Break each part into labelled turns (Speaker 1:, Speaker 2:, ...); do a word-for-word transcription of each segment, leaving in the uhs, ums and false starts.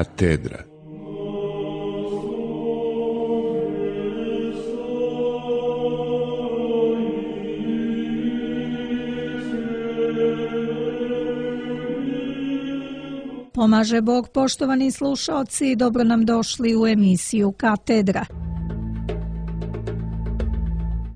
Speaker 1: Katedra.
Speaker 2: Pomaže Bog, poštovani slušaoci, dobro nam došli u emisiju Katedra.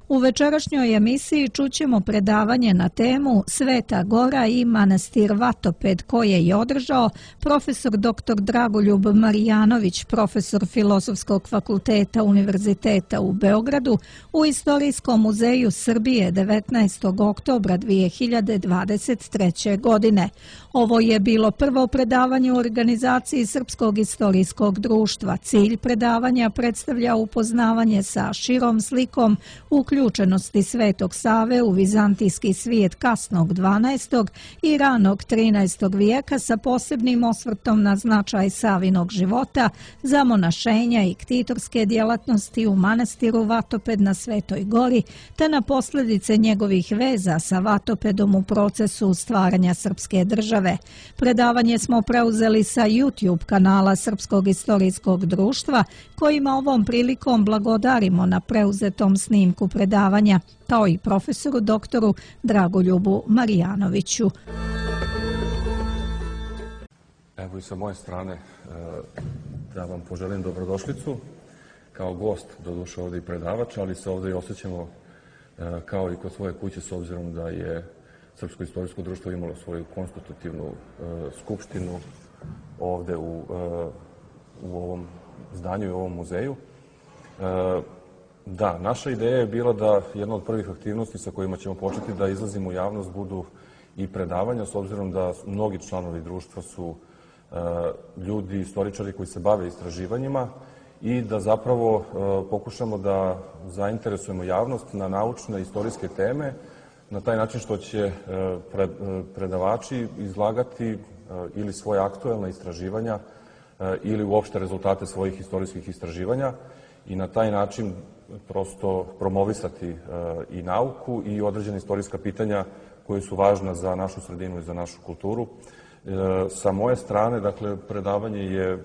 Speaker 2: U večerašnjoj emisiji čućemo predavanje na temu Sveta Gora i manastir Vatoped koje je održao profesor doktor Dragoljub Marijanović, profesor Filozofskog fakulteta Univerziteta u Beogradu u Istorijskom muzeju Srbije devetnaestog oktobra dvije hiljade dvadeset treće. godine. Ovo je bilo prvo predavanje u organizaciji Srpskog istorijskog društva. Cilj predavanja predstavlja upoznavanje sa širom slikom uključenosti Svetog Save u vizantijski svijet kasnog dvanaestog i ranog trinaestog vijeka sa posebnim osvrtom na značaj Savinog života, zamonašenja i ktitorske djelatnosti u manastiru Vatoped na Svetoj Gori, te na posljedice njegovih veza sa Vatopedom u procesu stvaranja srpske države. Predavanje smo preuzeli sa YouTube kanala Srpskog istorijskog društva, kojima ovom prilikom blagodarimo na preuzetom snimku predavanja, kao i profesoru doktoru Dragoljubu Marijanoviću.
Speaker 3: Evo i sa moje strane da vam poželim dobrodošlicu kao gost, doduše ovdje i predavač, ali se ovdje i osjećamo kao i kod svoje kuće s obzirom da je Srpsko istorijsko društvo imalo svoju konstitutivnu skupštinu ovdje u, u ovom zdanju i u ovom muzeju. Da, naša ideja je bila da jedna od prvih aktivnosti sa kojima ćemo početi da izlazimo u javnost budu i predavanja, s obzirom da mnogi članovi društva su ljudi, istoričari koji se bave istraživanjima i da zapravo pokušamo da zainteresujemo javnost na naučne istorijske teme na taj način što će predavači izlagati ili svoje aktuelne istraživanja ili uopšte rezultate svojih istorijskih istraživanja i na taj način prosto promovisati i nauku i određene istorijska pitanja koje su važna za našu sredinu i za našu kulturu. Sa moje strane, dakle, predavanje je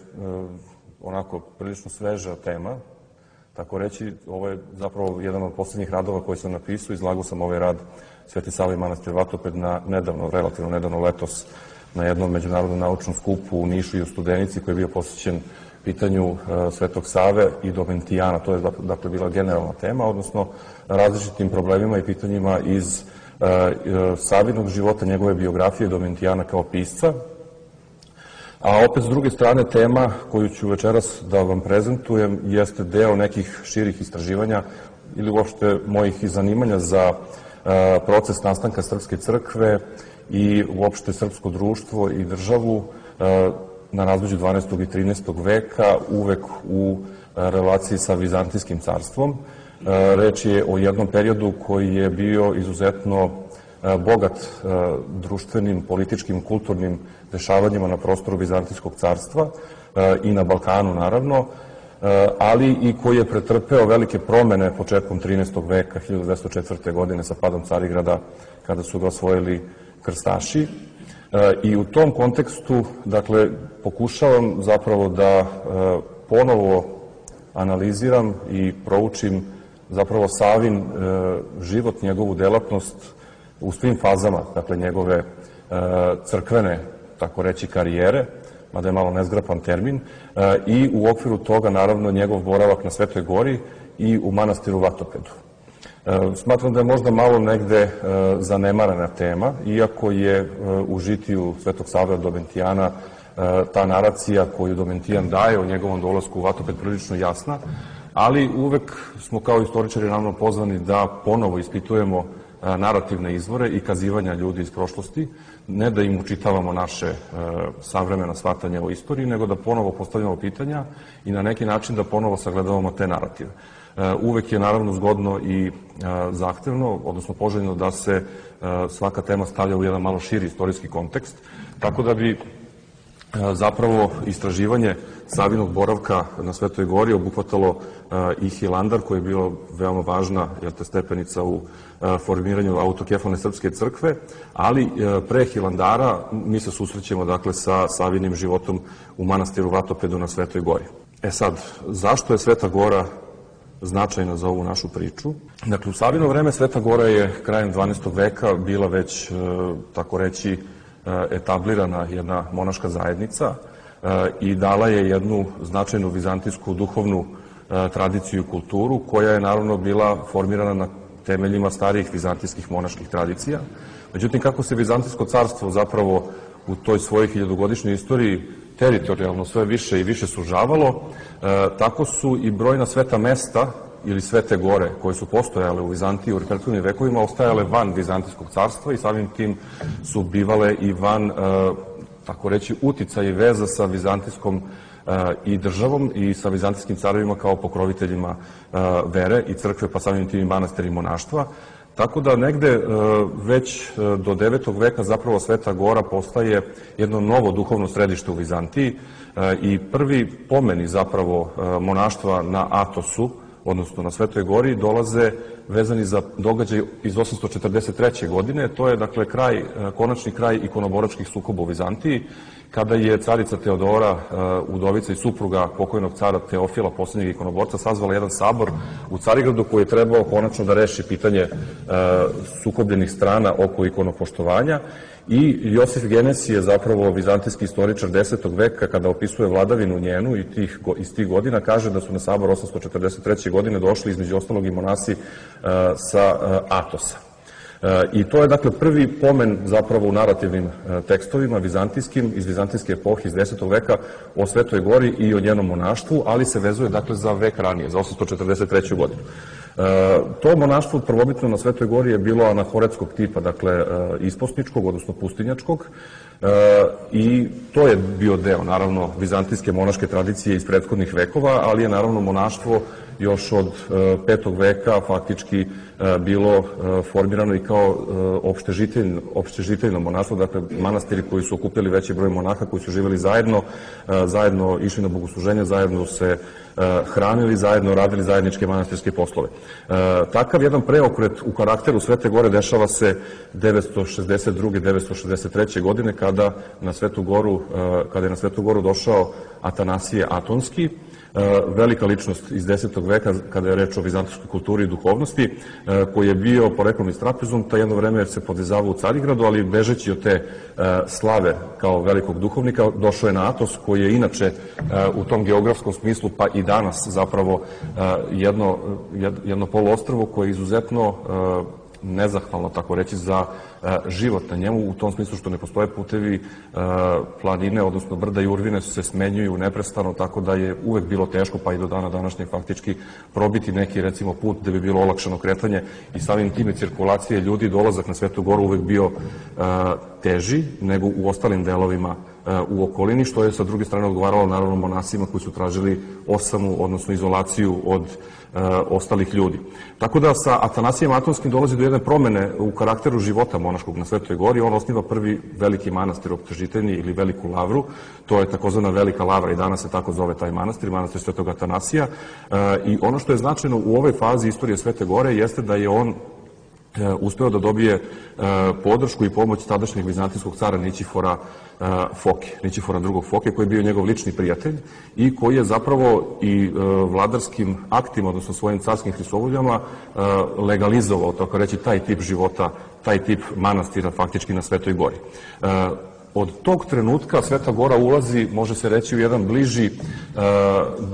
Speaker 3: onako prilično sveža tema, tako reći, ovo je zapravo jedan od posljednjih radova koje sam napisao, izlagao sam ovaj rad Sveti Sava i manastir Vatoped na nedavno, relativno nedavno letos, na jednom međunarodnom naučnom skupu u Nišu i u Studenici koji je bio posvećen pitanju Svetog Save i Domentijana. To je dakle bila generalna tema, odnosno različitim problemima i pitanjima iz Savinog života, njegove biografije Domentijana kao pisca. A opet s druge strane tema koju ću večeras da vam prezentujem jeste deo nekih širih istraživanja ili uopšte mojih zanimanja za proces nastanka Srpske crkve i uopšte srpsko društvo i državu na razmeđu dvanaestog i trinaestog veka, uvek u relaciji sa Vizantijskim carstvom. Reč je o jednom periodu koji je bio izuzetno bogat društvenim, političkim, kulturnim dešavanjima na prostoru Vizantijskog carstva i na Balkanu naravno, ali i koji je pretrpeo velike promene početkom trinaestog veka, hiljadu dvesta četvrte. godine sa padom Carigrada, kada su ga osvojili krstaši. I u tom kontekstu, dakle, pokušavam zapravo da ponovo analiziram i proučim zapravo Savin život, njegovu delatnost u svim fazama, dakle, njegove crkvene, tako reći, karijere, mada je malo nezgrapan termin, i u okviru toga, naravno, njegov boravak na Svetoj Gori i u manastiru Vatopedu. Smatram da je možda malo negde zanemarena tema, iako je u žitiju Svetog Save od Domentijana ta naracija koju Domentijan daje o njegovom dolasku u Vatoped prilično jasna, ali uvek smo kao istoričari naravno pozvani da ponovo ispitujemo narativne izvore i kazivanja ljudi iz prošlosti, ne da im učitavamo naše savremena shvatanja o istoriji, nego da ponovo postavljamo pitanja i na neki način da ponovo sagledavamo te narative. Uvek je naravno zgodno i zahtevno, odnosno poželjno da se svaka tema stavlja u jedan malo širi istorijski kontekst, tako da bi zapravo istraživanje Savinog boravka na Svetoj gori obuhvatalo i Hilandar, koji je bio veoma važna stepenica u formiranju autokefalne srpske crkve, ali pre Hilandara mi se susrećemo dakle sa Savinim životom u manastiru Vatopedu na Svetoj gori. E sad, zašto je Sveta gora značajna za ovu našu priču? Dakle, u Savino vreme Sveta gora je krajem dvanaestog veka bila već, tako reći, etablirana jedna monaška zajednica i dala je jednu značajnu vizantijsku duhovnu tradiciju i kulturu, koja je naravno bila formirana na temeljima starijih vizantijskih monaških tradicija. Međutim, kako se Vizantijsko carstvo zapravo u toj svojoj hiljadugodišnjoj istoriji teritorijalno sve više i više sužavalo, tako su i brojna sveta mesta ili svete gore koje su postojale u Vizantiji u prethodnim vekovima ostajale van Vizantijskog carstva i samim tim su bivale i van, tako reći, uticaja i veza sa Vizantijskom i državom i sa vizantijskim carovima kao pokroviteljima vere i crkve, pa samim tim i manastira i monaštva. Tako da negde već do devetog veka zapravo Sveta gora postaje jedno novo duhovno središte u Vizantiji i prvi pomeni zapravo monaštva na Atosu, odnosno na Svetoj gori, dolaze vezani za događaj iz osamsto četrdeset treće. godine. To je, dakle, kraj, konačni kraj ikonoboračkih sukoba u Vizantiji, kada je carica Teodora, udovica i supruga pokojnog cara Teofila, posljednjeg ikonoborca, sazvala jedan sabor u Carigradu koji je trebao konačno da reši pitanje sukobljenih strana oko ikonopoštovanja. I Josif Genesi je zapravo vizantijski istoričar desetog veka, kada opisuje vladavinu njenu i tih, iz tih godina, kaže da su na sabor osamsto četrdeset treće. godine došli između ostalog i monasi sa Atosa. I to je, dakle, prvi pomen zapravo u narativnim tekstovima vizantijskim, iz vizantijske epohe, iz desetog veka, o Svetoj gori i o njenom monaštvu, ali se vezuje, dakle, za vek ranije, za osamsto četrdeset treću. godinu. To monaštvo prvobitno na Svetoj gori je bilo anahoretskog tipa, dakle, isposničkog, odnosno pustinjačkog, i to je bio deo, naravno, vizantijske monaške tradicije iz prethodnih vekova, ali je, naravno, monaštvo još od petog veka faktički bilo formirano i kao opštežiteljno monaštvo, dakle manastiri koji su okupili veći broj monaha, koji su živjeli zajedno, zajedno išli na bogosluženje, zajedno se hranili, zajedno radili zajedničke manastirske poslove. Takav jedan preokret u karakteru Svete gore dešava se devetsto šezdeset druge. devetsto šezdeset treće. godine, kada na Svetu goru, kada je na Svetu goru došao Atanasije Atonski, velika ličnost iz desetog veka, kada je reč o vizantijskoj kulturi i duhovnosti, koji je bio poreklom iz Trapezunta, jedno vreme se podizavao u Carigradu, ali bežeći od te slave kao velikog duhovnika, došao je na Atos, koji je inače u tom geografskom smislu, pa i danas zapravo jedno, jedno poluostrvo koje je izuzetno nezahvalno, tako reći, za život na njemu, u tom smislu što ne postoje putevi, planine, odnosno brda i urvine se smenjuju neprestano, tako da je uvek bilo teško, pa i do dana današnjeg faktički, probiti neki, recimo, put gde bi bilo olakšano kretanje i samim time cirkulacije ljudi, dolazak na Svetu goru uvek bio teži nego u ostalim delovima u okolini, što je sa druge strane odgovaralo naravno monasima koji su tražili osamu, odnosno izolaciju od ostalih ljudi. Tako da sa Atanasijem Atonskim dolazi do jedne promene u karakteru života monaškog na Svetoj gori. On osniva prvi veliki manastir optežiteljni ili veliku lavru, to je takozvana Velika lavra i danas se tako zove taj manastir, manastir Svetog Atanasija. I ono što je značajno u ovoj fazi istorije Svete gore jeste da je on uspeo da dobije podršku i pomoć tadašnjeg vizantijskog cara Nićifora Foke, Nićifora drugog Foke, koji je bio njegov lični prijatelj i koji je zapravo i vladarskim aktima, odnosno svojim carskim hristovoljama, legalizovao, tako reći, taj tip života, taj tip manastira faktički na Svetoj gori. Od tog trenutka Sveta gora ulazi, može se reći, u jedan bliži,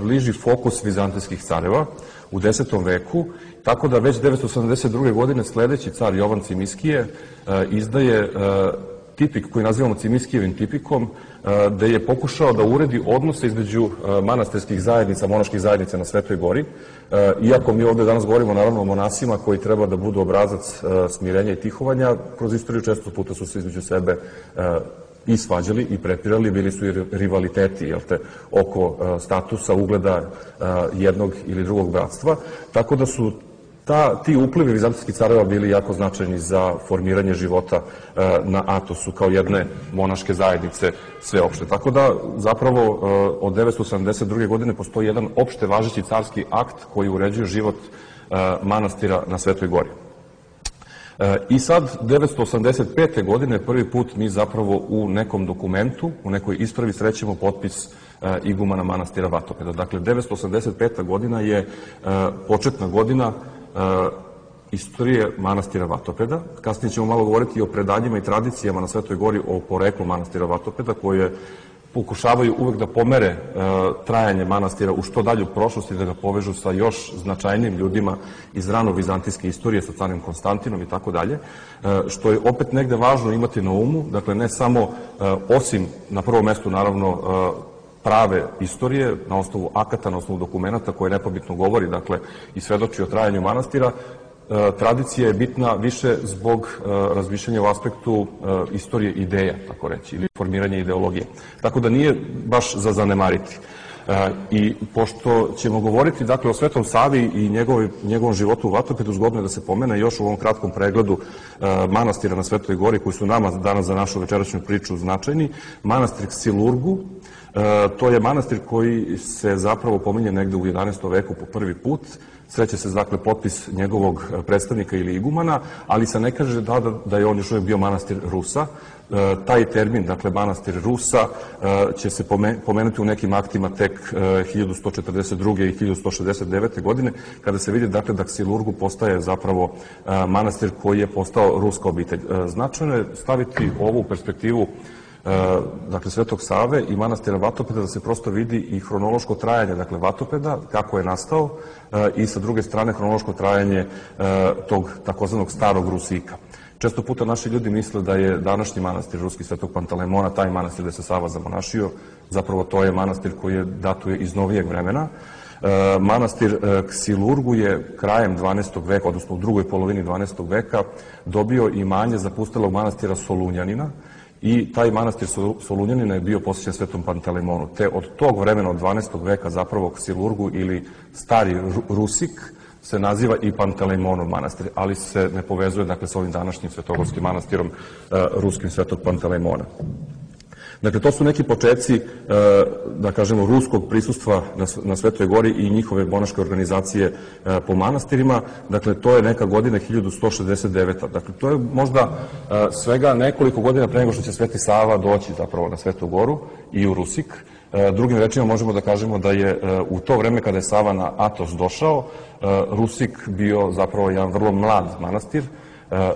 Speaker 3: bliži fokus vizantijskih careva u desetom veku, tako da već devetsto sedamdeset druge. godine sledeći car Jovan Cimiskije izdaje tipik koji nazivamo Cimiskijevim tipikom, gde je pokušao da uredi odnose između manastirskih zajednica, monaških zajednica na Svetoj gori, iako mi ovde danas govorimo naravno o monasima koji treba da budu obrazac smirenja i tihovanja, kroz istoriju često puta su se između sebe i svađali i prepirali, bili su i rivaliteti, jel te, oko statusa, ugleda jednog ili drugog bratstva, tako da su Ti uplivi vizantijskih careva bili jako značajni za formiranje života na Atosu kao jedne monaške zajednice sveopšte. Tako da zapravo od devetsto sedamdeset druge godine postoji jedan opšte važeći carski akt koji uređuje život manastira na Svetoj Gori. I sad, devetsto osamdeset pete godine, prvi put mi zapravo u nekom dokumentu, u nekoj ispravi srećemo potpis igumana manastira Vatopeda. Dakle, devetsto osamdeset peta godina je početna godina istorije manastira Vatopeda. Kasnije ćemo malo govoriti i o predanjima i tradicijama na Svetoj Gori, o poreklu manastira Vatopeda, koje pokušavaju uvek da pomere trajanje manastira u što dalju prošlost i da ga povežu sa još značajnim ljudima iz rano vizantijske istorije, sa carim Konstantinom i tako dalje, što je opet negde važno imati na umu, dakle ne samo, osim na prvom mestu naravno prave istorije, na osnovu akata, na osnovu dokumenta koje nepobitno govori, dakle, i svedoči o trajanju manastira, tradicija je bitna više zbog razmišljanja u aspektu istorije ideja, tako reći, ili formiranja ideologije. Tako da nije baš za zanemariti. I pošto ćemo govoriti, dakle, o Svetom Savi i njegovom životu u Vatopedu, zgodno je da se pomene još u ovom kratkom pregledu manastira na Svetoj Gori, koji su nama danas za našu večerašnju priču značajni. Manastir Ksilurgu, to je manastir koji se zapravo pominje negde u jedanaestom veku po prvi put. Sreće se, dakle, potpis njegovog predstavnika ili igumana, ali se ne kaže da, da je on još uvijek bio manastir Rusa. Taj termin, dakle, manastir Rusa, će se pomenuti u nekim aktima tek hiljadu sto četrdeset druge i hiljadu sto šezdeset devete godine, kada se vidi, dakle, da Ksilurgu postaje zapravo manastir koji je postao ruska obitelj. Značajno je staviti ovu perspektivu, dakle, Svetog Save i manastira Vatopeda, da se prosto vidi i hronološko trajanje, dakle, Vatopeda, kako je nastao, i sa druge strane hronološko trajanje tog takozvanog starog Rusika. Često puta naši ljudi misle da je današnji manastir Ruski Svetog Pantalemona taj manastir gde se Sava zamonašio. Zapravo to je manastir koji je datuje iz novijeg vremena. Manastir Ksilurgu je krajem dvanaestog veka, odnosno u drugoj polovini dvanaestog veka, dobio imanje zapustelog manastira Solunjanina, i taj manastir Solunjanina je bio posvećen Svetom Pantalemonu. Te od tog vremena, od dvanaestog veka, zapravo Ksilurgu ili stari Rusik se naziva i Pantalemonov manastir, ali se ne povezuje, dakle, sa ovim današnjim svetogorskim manastirom ruskim Svetog Pantalemona. Dakle, to su neki početci, da kažemo, ruskog prisustva na Svetoj Gori i njihove monaške organizacije po manastirima. Dakle, to je neka godina hiljadu sto šezdeset deveta. Dakle, to je možda svega nekoliko godina pre nego što će Sveti Sava doći zapravo na Svetu Goru i u Rusik. Drugim rečima možemo da kažemo da je u to vreme kada je Sava na Atos došao, Rusik bio zapravo jedan vrlo mlad manastir,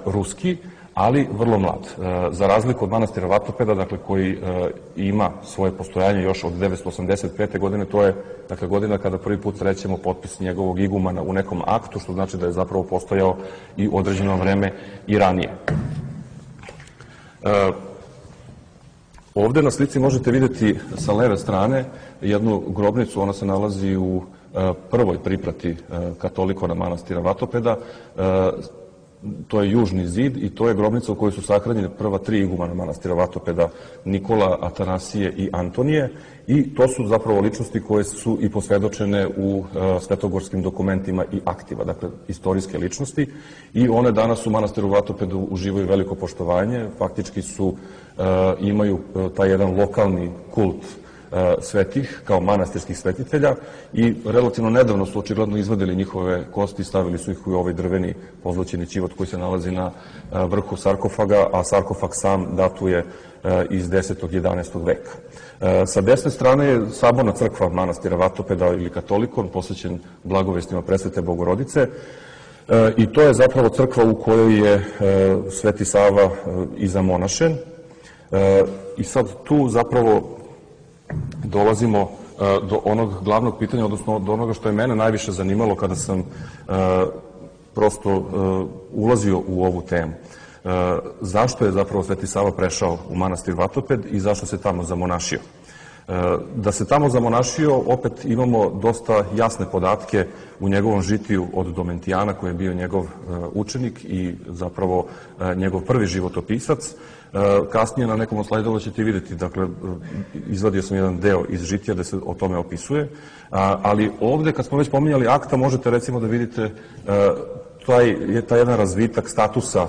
Speaker 3: ruski, ali vrlo mlad. Za razliku od manastira Vatopeda, dakle, koji ima svoje postojanje još od devetsto osamdeset pete godine, to je, dakle, godina kada prvi put srećemo potpis njegovog igumana u nekom aktu, što znači da je zapravo postojao i određeno vreme i ranije. Ovde na slici možete vidjeti sa leve strane jednu grobnicu, ona se nalazi u prvoj priprati katolikona manastira Vatopeda. To je južni zid i to je grobnica u kojoj su sahranjene prva tri igumana manastira Vatopeda, Nikola, Atanasije i Antonije, i to su zapravo ličnosti koje su i posvedočene u svetogorskim dokumentima i aktiva, dakle, istorijske ličnosti, i one danas u manastiru Vatopedu uživaju veliko poštovanje, faktički su, imaju taj jedan lokalni kult svetih, kao manastirskih svetitelja, i relativno nedavno su očigledno izvadili njihove kosti i stavili su ih u ovaj drveni pozlaćeni ćivot koji se nalazi na vrhu sarkofaga, a sarkofag sam datuje iz desetog i jedanaestog veka. Sa desne strane je saborna crkva manastira Vatopeda ili katolikon, posvećen blagovestima Presvete Bogorodice, i to je zapravo crkva u kojoj je Sveti Sava i zamonašen. I sad tu zapravo dolazimo do onog glavnog pitanja, odnosno do onoga što je mene najviše zanimalo kada sam prosto ulazio u ovu temu. Zašto je zapravo Sveti Sava prešao u manastir Vatoped i zašto se tamo zamonašio? Da se tamo zamonašio, opet imamo dosta jasne podatke u njegovom žitiju od Domentijana, koji je bio njegov učenik i zapravo njegov prvi životopisac. Kasnije na nekom od slajdova ćete vidjeti, dakle, izvadio sam jedan deo iz žitija da se o tome opisuje, ali ovde, kad smo već pominjali akta, možete recimo da vidite taj, taj jedan razvitak statusa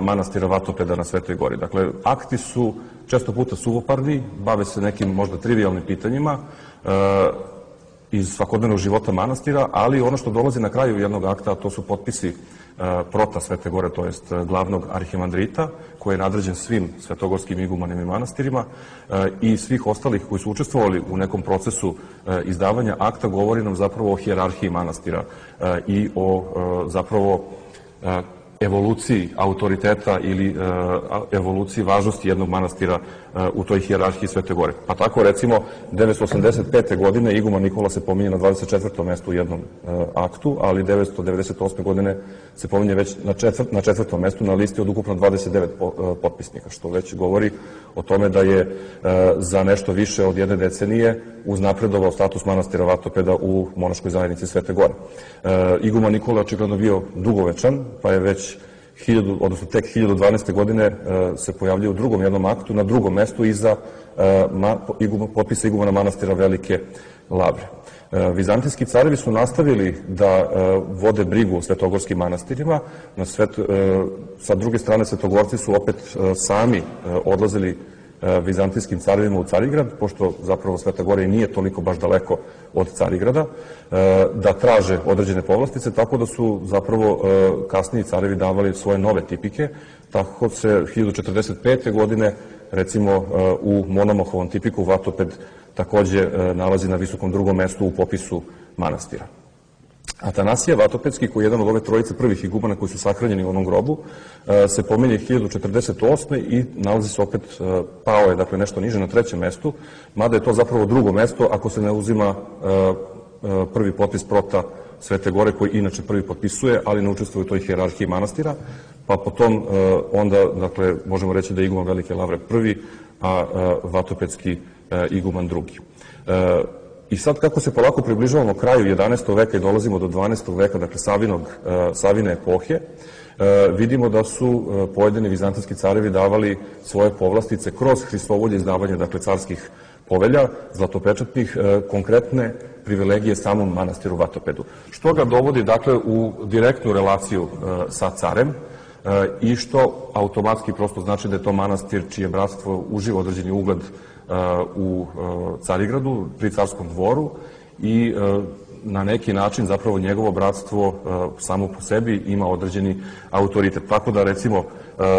Speaker 3: manastira Vatopeda na Svetoj Gori. Dakle, akti su često puta suvoparni, bave se nekim možda trivijalnim pitanjima iz svakodnevnog života manastira, ali ono što dolazi na kraju jednog akta, to su potpisi prota Svete Gore, to jest glavnog arhimandrita, koji je nadređen svim svetogorskim igumanima i manastirima, i svih ostalih koji su učestvovali u nekom procesu izdavanja akta, govori nam zapravo o hijerarhiji manastira i o zapravo evoluciji autoriteta ili evoluciji važnosti jednog manastira u toj hijerarhiji Svete Gore. Pa tako, recimo, devetsto osamdeset pete. godine iguman Nikola se pominje na dvadeset četvrtom mestu u jednom aktu, ali devetsto devedeset osme. godine se pominje već na četvrtom mestu na listi od ukupno dvadeset devet potpisnika, što već govori o tome da je za nešto više od jedne decenije uznapredovao status manastira Vatopeda u monaškoj zajednici Svete Gore. Iguman Nikola je očigledno bio dugovečan, pa je već odnosno tek hiljadu dvanaeste. godine se pojavljuje u drugom jednom aktu, na drugom mestu iza potpisa igumana manastira Velike Lavre. Vizantijski carevi su nastavili da vode brigu o svetogorskim manastirima. Sa druge strane, svetogorci su opet sami odlazili vizantijskim carevima u Carigrad, pošto zapravo Sveta Gora i nije toliko baš daleko od Carigrada, da traže određene povlastice, tako da su zapravo kasniji carevi davali svoje nove tipike. Tako se hiljadu četrdeset pete. godine, recimo, u Monomohovom tipiku Vatoped takođe nalazi na visokom drugom mestu u popisu manastira. Atanasije Vatopedski, koji je jedan od ove trojice prvih igumana koji su sahranjeni u onom grobu, se pominje hiljadu četrdeset osme. i nalazi se opet, pao je, dakle, nešto niže na trećem mestu, mada je to zapravo drugo mesto ako se ne uzima prvi potpis prota Svete Gore, koji inače prvi potpisuje, ali ne učestvuje u toj hijerarhiji manastira, pa potom onda, dakle, možemo reći da je iguman Velike Lavre prvi, a Vatopedski iguman drugi. I sad, kako se polako približavamo kraju jedanaestog. veka i dolazimo do dvanaestog. veka, dakle Savinog, Savine epohe, vidimo da su pojedini vizantijski carevi davali svoje povlastice kroz Hristovolje izdavanje, dakle, carskih povelja, zlatopečatnih, konkretne privilegije samom manastiru Vatopedu. Što ga dovodi, dakle, u direktnu relaciju sa carem i što automatski prosto znači da je to manastir čije bratstvo uživa određeni ugled u Carigradu, pri carskom dvoru, i na neki način zapravo njegovo bratstvo samo po sebi ima određeni autoritet. Tako da, recimo,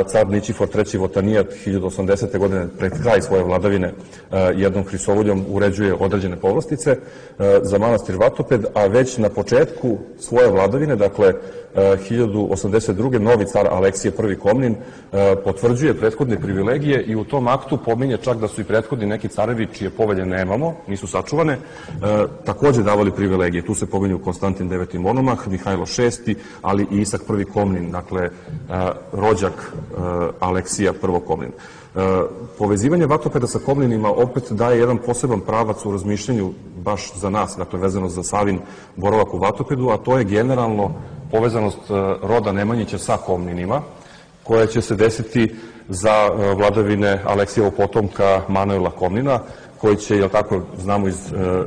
Speaker 3: car Ničifor treći Votanijat hiljadu osamdesete. godine pred kraj svoje vladavine jednom Hristovoljom uređuje određene povlastice za manastir Vatoped, a već na početku svoje vladavine, dakle hiljadu osamdeset druge. novi car Aleksije prvi Komnin potvrđuje prethodne privilegije i u tom aktu pominje čak da su i prethodni neki carevi čije povelje nemamo, nisu sačuvane, takođe davali privilegije. Tu se pominju Konstantin deveti. Monomah, Mihajlo šesti. ali i Isak prvi Komnin, dakle rođak Aleksija prvog Komnin. Povezivanje Vatopeda sa Komninima opet daje jedan poseban pravac u razmišljanju baš za nas, dakle vezano za Savin boravak u Vatopedu, a to je generalno povezanost roda Nemanjića sa Komninima, koja će se desiti za vladavine Aleksijevog potomka Manuela Komnina, koji će, jel tako, znamo iz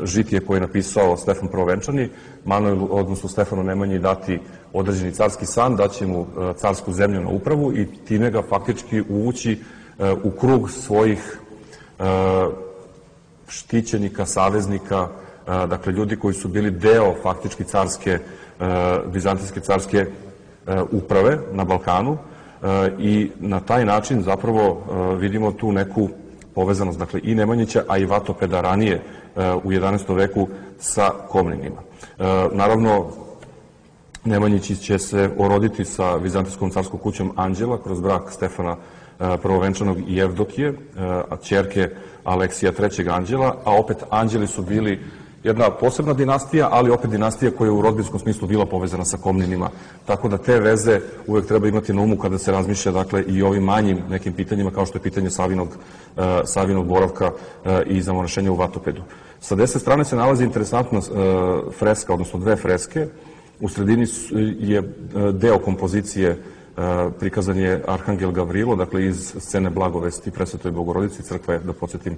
Speaker 3: žitije koje je napisao Stefan Prvovenčani, Manuelu, odnosno Stefanu Nemanji, dati određeni carski san, daće mu carsku zemlju na upravu i time ga faktički uvući u krug svojih štićenika, saveznika, dakle ljudi koji su bili deo faktički carske, vizantijske carske uprave na Balkanu, i na taj način zapravo vidimo tu neku povezanost, dakle, i Nemanjića, a i Vatopeda ranije u jedanaestom. veku sa Komninima. Naravno, Nemanjići će se oroditi sa vizantijskom carskom kućom Anđela kroz brak Stefana Prvovenčanog i Evdokije, ćerke Aleksija trećeg. Anđela, a opet Anđeli su bili jedna posebna dinastija, ali opet dinastija koja je u rodbinskom smislu bila povezana sa Komninima. Tako da te veze uvek treba imati na umu kada se razmišlja, dakle, i ovim manjim nekim pitanjima, kao što je pitanje Savinog, uh, Savinog boravka uh, i zamonašenja u Vatopedu. Sa desne strane se nalazi interesantna uh, freska, odnosno dve freske. U sredini je deo kompozicije, prikazan je Arhangel Gavrilo, dakle iz scene Blagovesti Presvetoj Bogorodici. Crkva je, da podsjetim,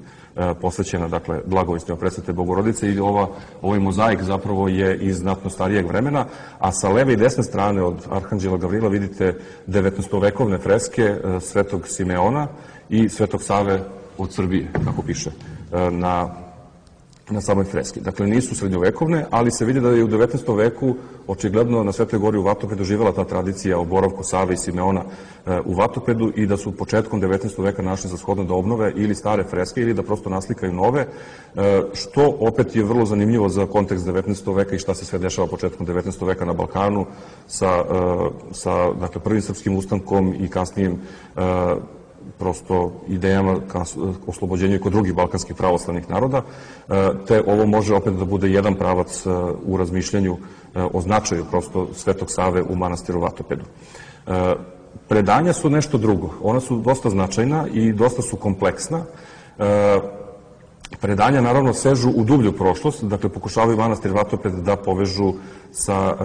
Speaker 3: posvećena, dakle, Blagovestima Presvete Bogorodice, i ova, ovaj mozaik zapravo je iz znatno starijeg vremena, a sa leve i desne strane od Arhanđela Gavrila vidite devetnaestovekovne freske Svetog Simeona i Svetog Save od Srbije, kako piše na na samoj freski. Dakle, nisu srednjovekovne, ali se vidi da je u devetnaestom veku očigledno na Svetoj gori u Vatopedu živela ta tradicija o boravku Save i Simeona u Vatopedu i da su početkom devetnaestog veka našli za shodno da obnove ili stare freske ili da prosto naslikaju nove, što opet je vrlo zanimljivo za kontekst devetnaestog veka i šta se sve dešava početkom devetnaestog veka na Balkanu sa, sa dakle, prvim srpskim ustankom i kasnijim prosto idejama ka oslobođenju i kod drugih balkanskih pravoslavnih naroda, te ovo može opet da bude jedan pravac u razmišljanju o značaju prosto Svetog Save u manastiru Vatopedu. Predanja su nešto drugo. Ona su dosta značajna i dosta su kompleksna. Predanja naravno sežu u dublju prošlost, dakle pokušavaju manastir Vatoped da povežu sa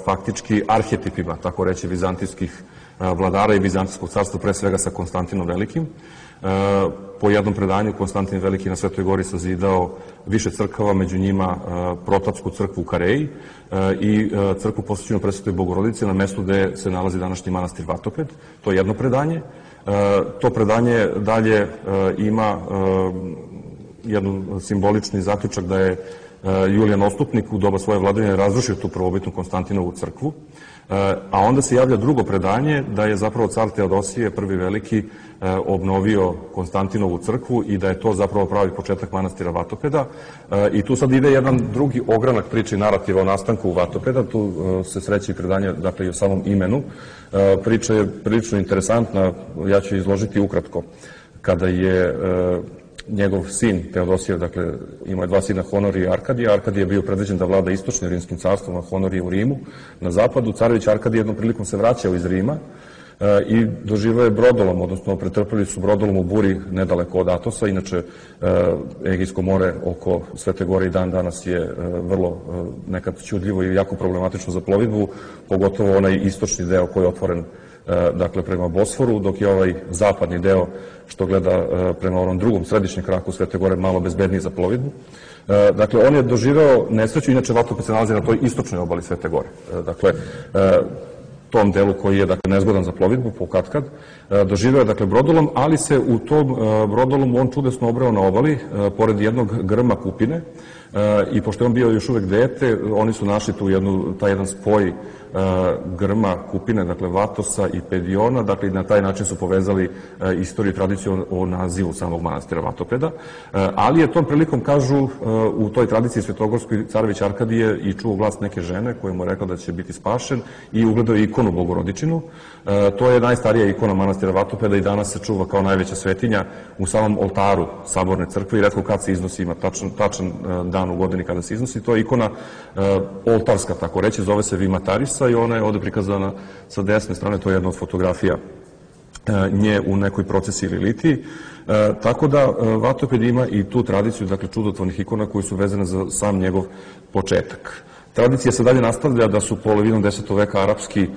Speaker 3: faktički arhetipima, tako reći, vizantijskih vladara i Vizantijskog carstva, pre svega sa Konstantinom Velikim. Po jednom predanju Konstantin Veliki na Svetoj gori sazidao više crkava, među njima Protapsku crkvu u Kareji i crkvu posvećenu Presvetoj Bogorodici na mestu gde se nalazi današnji manastir Vatoped. To je jedno predanje. To predanje dalje ima jedan simbolični zaključak da je Julijan Ostupnik u doba svoje vladavine razrušio tu prvobitnu Konstantinovu crkvu, a onda se javlja drugo predanje da je zapravo car Teodosije prvi Veliki obnovio Konstantinovu crkvu i da je to zapravo pravi početak manastira Vatopeda. I tu sad ide jedan drugi ogranak priče i narativa o nastanku Vatopeda, tu se sreće i predanje, dakle, i o samom imenu. Priča je prilično interesantna, ja ću izložiti ukratko. Kada je njegov sin Teodosije, dakle, imao je dva sina, Honorije i Arkadija. Arkadije je bio predviđen da vlada istočnim rimskim carstvom, a Honorije u Rimu na zapadu. Carević Arkadije jednom prilikom se vraćao iz Rima i doživao je brodolom, odnosno pretrpeli su brodolom u buri nedaleko od Atosa. Inače, Egejsko more oko Svete gore i dan danas je vrlo nekad čudljivo i jako problematično za plovidbu, pogotovo onaj istočni deo koji je otvoren, dakle, prema Bosforu, dok je ovaj zapadni deo što gleda prema onom drugom središnjem kraku Svete gore malo bezbedniji za plovidbu. Dakle, on je doživeo nesreću, inače Vatoped se nalazi na toj istočnoj obali Svete gore. Dakle, tom delu koji je, dakle, nezgodan za plovidbu, po katkad, doživeo je, dakle, brodolom, ali se u tom brodolomu on čudesno obreo na obali, pored jednog grma kupine, i pošto je on bio još uvek dete, oni su našli tu jednu, taj jedan spoj grma kupine, dakle Vatosa i Pediona, dakle i na taj način su povezali istoriju i tradiciju o nazivu samog manastira Vatopeda, ali je tom prilikom, kažu, u toj tradiciji svetogorskoj carević Arkadije i čuo glas neke žene koja mu je rekla da će biti spašen i ugledao ikonu Bogorodičinu. To je najstarija ikona manastira Vatopeda i danas se čuva kao najveća svetinja u samom oltaru Saborne crkve i retko kad se iznosi, ima tačan, tačan dan u godini kada se iznosi. To je ikona oltarska, tako reći, zove se Vimatarisa i ona je ovde prikazana sa desne strane, to je jedna od fotografija nje u nekoj procesiji ili litiji. Tako da Vatoped ima i tu tradiciju, dakle, čudotvornih ikona koji su vezane za sam njegov početak. Tradicija se dalje nastavlja da su polovinom desetog veka arapski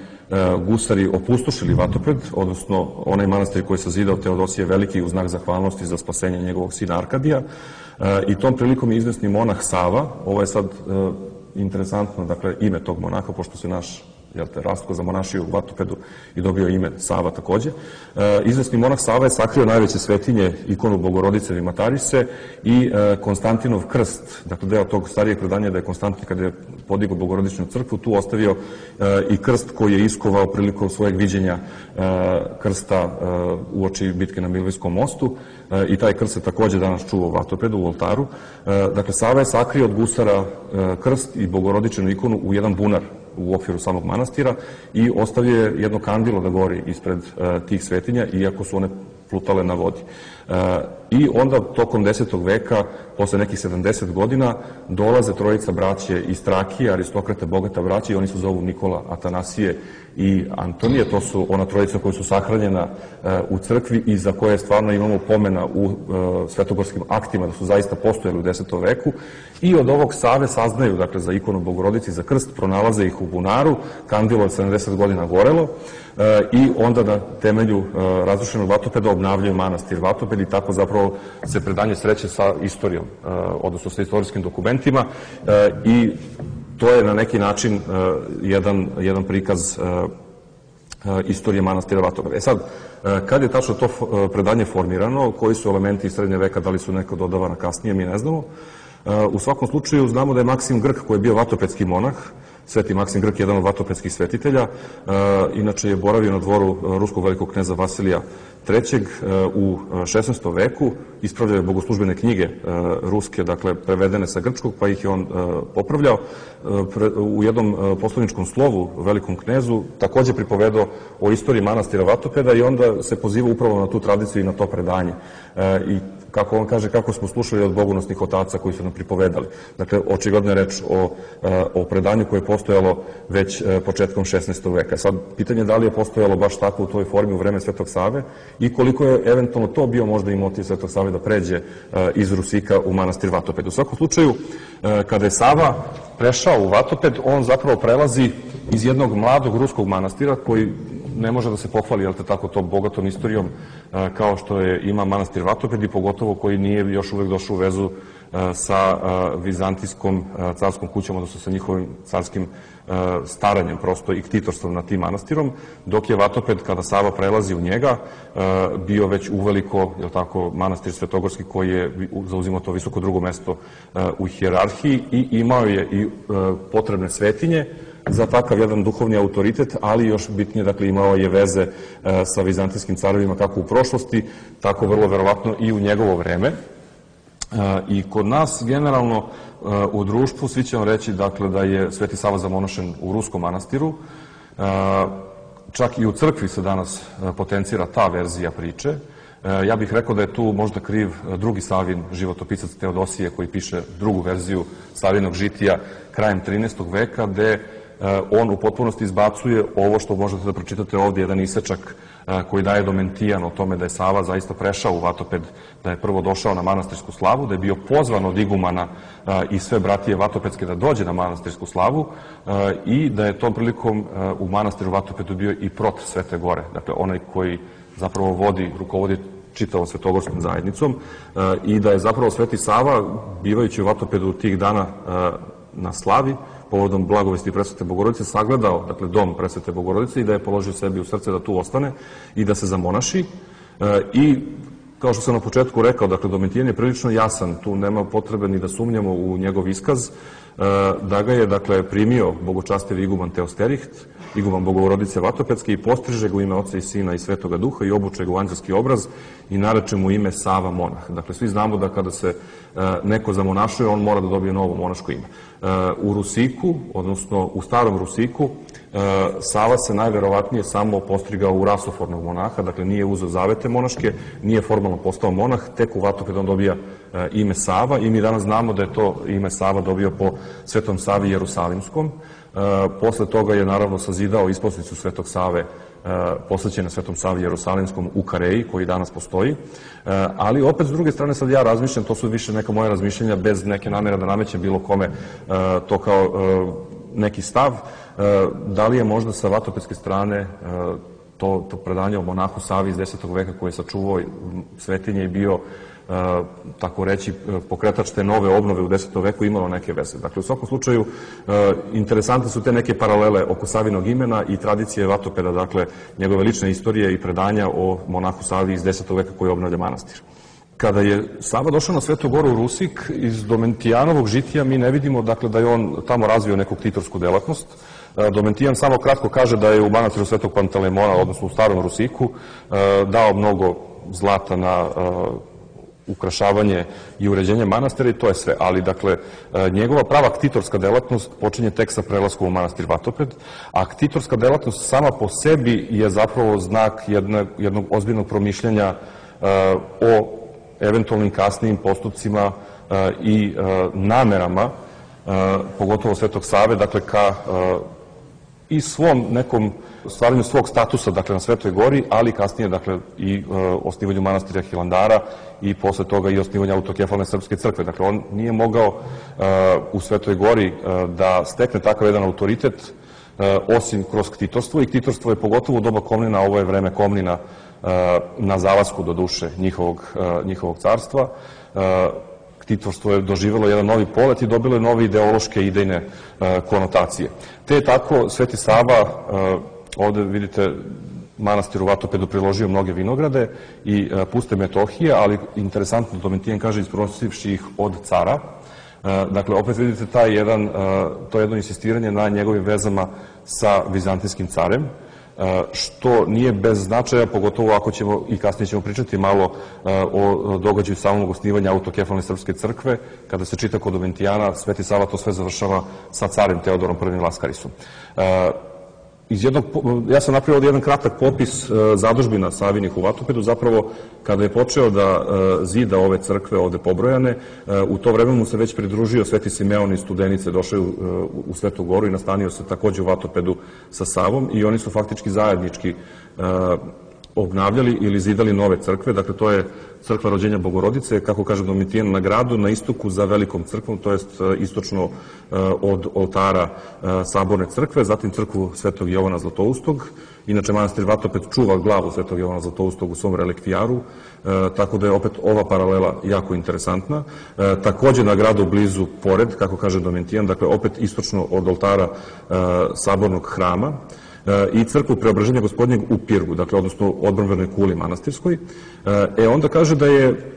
Speaker 3: gusari opustošili Vatoped, odnosno onaj manastir koji je sazidao Teodosije Veliki u znak zahvalnosti za spasenje njegovog sina Arkadija. I tom prilikom je izvesni monah Sava, ovo je sad interesantno, dakle, ime tog monaha, pošto se naš, jel te, Rastko zamonašio u Vatopedu i dobio ime Sava takođe. Izvesni monah Sava je sakrio najveće svetinje, ikonu Bogorodice Vimatarise i Konstantinov krst, dakle, deo tog starijeg predanja da je Konstantin, kada je podigao Bogorodičnu crkvu, tu ostavio i krst koji je iskovao prilikom svojeg viđenja krsta uoči bitke na Milvijskom mostu, i taj krst se takođe danas čuva u Vatopedu, u oltaru. Dakle, Sava je sakrio od gusara krst i Bogorodičnu ikonu u jedan bunar u okviru samog manastira i ostavio je jedno kandilo da gori ispred tih svetinja, iako su one plutale na vodi. I onda tokom desetog veka, posle nekih sedamdeset godina, dolaze trojica braće iz Trakije, aristokrata, bogata braća, i oni se zovu Nikola, Atanasije i Antonije. To su ona trojica koja su sahranjena u crkvi i za koje stvarno imamo pomena u svetogorskim aktima da su zaista postojali u desetom veku. I od ovog Save saznaju, dakle, za ikonu Bogorodici, za krst, pronalaze ih u bunaru, kandilo je sedamdeset godina gorelo, i onda na temelju razrušenog Vatopeda obnavljaju manastir Vatoped i tako zapravo se predanje sreće sa istorijom, odnosno sa istorijskim dokumentima, i to je na neki način jedan, jedan prikaz istorije manastira Vatopeda. E sad, kad je tačno to predanje formirano, koji su elementi iz srednje veka, da li su neko dodavana kasnije, mi ne znamo. U svakom slučaju znamo da je Maksim Grk, koji je bio vatopedski monah, Sveti Maksim Grk je jedan od vatopedskih svetitelja, inače je boravio na dvoru ruskog velikog kneza Vasilija trećeg u šesnaestom veku, ispravljao je bogoslužbene knjige ruske, dakle prevedene sa grčkog, pa ih je on popravljao. U jednom poslaničkom slovu velikom knezu takođe pripovedao o istoriji manastira Vatopeda i onda se poziva upravo na tu tradiciju i na to predanje. I kako on kaže, kako smo slušali od bogonosnih otaca koji su nam pripovedali. Dakle, očigledno je reč o, o predanju koje je postojalo već početkom šesnaestog veka. Sad, pitanje je da li je postojalo baš tako u toj formi u vreme Svetog Save i koliko je eventualno to bio možda i motiv Svetog Save da pređe iz Rusika u manastir Vatoped. U svakom slučaju, kada je Sava prešao u Vatoped, on zapravo prelazi iz jednog mladog ruskog manastira koji ne može da se pohvali, jel te tako, to bogatom istorijom kao što je ima manastir Vatoped i pogotovo koji nije još uvek došao u vezu sa vizantijskom carskom kućom, odnosno sa njihovim carskim staranjem prosto i ktitorstvom nad tim manastirom, dok je Vatoped, kada Sava prelazi u njega, bio već uveliko, jel tako, manastir Svetogorski koji je zauzimao to visoko drugo mesto u hijerarhiji i imao je i potrebne svetinje za takav jedan duhovni autoritet, ali još bitnije, dakle, imao je veze sa vizantijskim carovima kako u prošlosti, tako vrlo verovatno i u njegovo vreme. I kod nas, generalno, u društvu, svi će vam reći, dakle, da je Sveti Sava zamonašen u ruskom manastiru. Čak i u crkvi se danas potencira ta verzija priče. Ja bih rekao da je tu možda kriv drugi Savin životopisac Teodosije koji piše drugu verziju Savinog žitija krajem trinaestog veka, gde on u potpunosti izbacuje ovo što možete da pročitate ovdje, jedan isečak koji daje Domentijan o tome da je Sava zaista prešao u Vatoped, da je prvo došao na manastirsku slavu, da je bio pozvan od igumana i sve bratije Vatopedske da dođe na manastirsku slavu i da je tom prilikom u manastiru Vatopedu bio i prot Svete Gore, dakle onaj koji zapravo vodi, rukovodi čitavom svetogorskom zajednicom, i da je zapravo Sveti Sava, bivajući u Vatopedu tih dana na slavi, povodom blagovesti Presvete Bogorodice, sagledao, dakle, dom Presvete Bogorodice i da je položio sebi u srce da tu ostane i da se zamonaši. I, kao što sam na početku rekao, dakle, Domitijan je prilično jasan, tu nema potrebe ni da sumnjamo u njegov iskaz, da ga je, dakle, primio bogočastevi iguman Teosteriht, iguman Bogorodice Vatopedske, i postriže ga u ime Oca i Sina i Svetoga Duha i obuče ga u anđelski obraz i nareče mu ime Sava monah. Dakle, svi znamo da kada se neko zamonašuje, on mora da dobije novo monaško ime. U Rusiku, odnosno u starom Rusiku, Sava se najverovatnije samo postrigao u rasofornog monaha, dakle nije uzeo zavete monaške, nije formalno postao monah, tek u Vatopedu on dobija ime Sava i mi danas znamo da je to ime Sava dobio po Svetom Savi Jerusalimskom. Posle toga je naravno sazidao isposnicu Svetog Save posvećena Svetom Savi Jerusalimskom u Kareji, koji danas postoji. Ali opet, s druge strane, sad ja razmišljam, to su više neka moja razmišljenja, bez neke namere da namećem bilo kome to kao neki stav, da li je možda sa vatopedske strane to, to predanje o monahu Savi iz desetog veka koji je sačuvao svetinje i bio, tako reći, pokretač te nove obnove u desetom veku, imalo neke veze. Dakle, u svakom slučaju, interesantne su te neke paralele oko Savinog imena i tradicije Vatopeda, dakle, njegove lične istorije i predanja o monahu Savi iz desetog veka koji obnavlja manastir. Kada je Sava došao na Svetu Goru u Rusik, iz Domentijanovog žitija mi ne vidimo, dakle, da je on tamo razvio neku ktitorsku delatnost. Domentijan samo kratko kaže da je u manastiru Svetog Pantelemona, odnosno u starom Rusiku, dao mnogo zlata na ukrašavanje i uređenje manastira i to je sve. Ali, dakle, njegova prava ktitorska delatnost počinje tek sa prelaskom u manastir Vatoped, a ktitorska delatnost sama po sebi je zapravo znak jednog, jednog ozbiljnog promišljanja o eventualnim kasnijim postupcima i namerama, pogotovo Svetog Save, dakle, ka i svom nekom stvaranju svog statusa, dakle, na Svetoj Gori, ali kasnije, dakle, i osnivanju manastira Hilandara i posle toga i osnivanju autokefalne srpske crkve. Dakle, on nije mogao u Svetoj Gori da stekne takav jedan autoritet osim kroz ktitorstvo, i ktitorstvo je pogotovo u doba Komnina, ovo je vreme Komnina na zalasku do duše njihovog carstva. Ktitorstvo je doživjelo jedan novi polet i dobilo je nove ideološke i idejne konotacije. Te je tako Sveti Sava, ovde vidite, manastir u Vatopedu priložio mnoge vinograde i puste metohije, ali interesantno, Domitijan kaže, isprosivši ih od cara. Dakle, opet vidite taj jedan, to jedno insistiranje na njegovim vezama sa vizantijskim carem, što nije bez značaja, pogotovo ako ćemo, i kasnije ćemo pričati malo o događaju samog osnivanja autokefalne srpske crkve. Kada se čita kod Domitijana, Sveti Sava to sve završava sa carem Teodorom prvim Laskarisom. Ja sam napravio ovdje jedan kratak popis zadužbina Savinih u Vatopedu. Zapravo, kada je počeo da zida ove crkve ovde pobrojane, u to vreme mu se već pridružio Sveti Simeon iz Studenice, došao je u Svetu Goru i nastanio se takođe u Vatopedu sa Savom, i oni su faktički zajednički obnavljali ili zidali nove crkve. Dakle, to je crkva Rođenja Bogorodice, kako kaže Domitijan, na gradu, na istoku za velikom crkvom, to jest istočno od oltara Saborne crkve, zatim crkvu Svetog Jovana Zlatoustog. Inače, manastir Vatoped čuva glavu Svetog Jovana Zlatoustog u svom relikvijaru, tako da je opet ova paralela jako interesantna. Takođe na gradu blizu pored, kako kaže Domitijan, dakle opet istočno od oltara Sabornog hrama, i crkvu Preobraženja Gospodnjeg u Pirgu, dakle, odnosno odbrambenoj kuli manastirskoj. E, onda kaže da je